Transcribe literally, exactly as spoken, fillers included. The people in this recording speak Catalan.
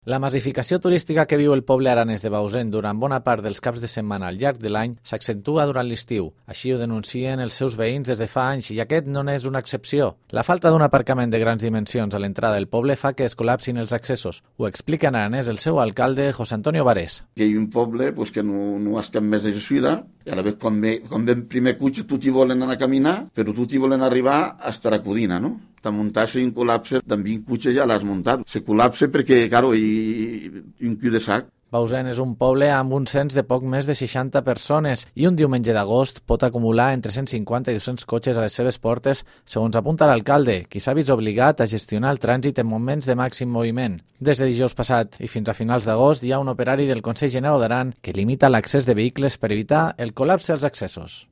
La massificació turística que viu el poble aranès de Bausen durant bona part dels caps de setmana al llarg de l'any s'accentua durant l'estiu. Així ho denuncien els seus veïns des de fa anys i aquest no n'és una excepció. La falta d'un aparcament de grans dimensions a l'entrada del poble fa que es col·lapsin els accessos. Ho explica en aranès el seu alcalde, José Antonio Varés. Que hi ha un poble pues, que no, no has cap més de suïda i a la vegada quan ve, quan ve el primer cotxe tutti volen anar a caminar, però tutti volen arribar a Estaracudina, no? T'ha muntat un col·lapse, amb vint cotxes ja l'has muntat. Se col·lapse perquè, claro, hi, hi un cul de sac. Bausen és un poble amb un cens de poc més de seixanta persones i un diumenge d'agost pot acumular entre cent cinquanta i dos-cents cotxes a les seves portes, segons apunta l'alcalde, qui s'ha vist obligat a gestionar el trànsit en moments de màxim moviment. Des de dijous passat i fins a finals d'agost hi ha un operari del Consell General d'Aran que limita l'accés de vehicles per evitar el col·lapse als accessos.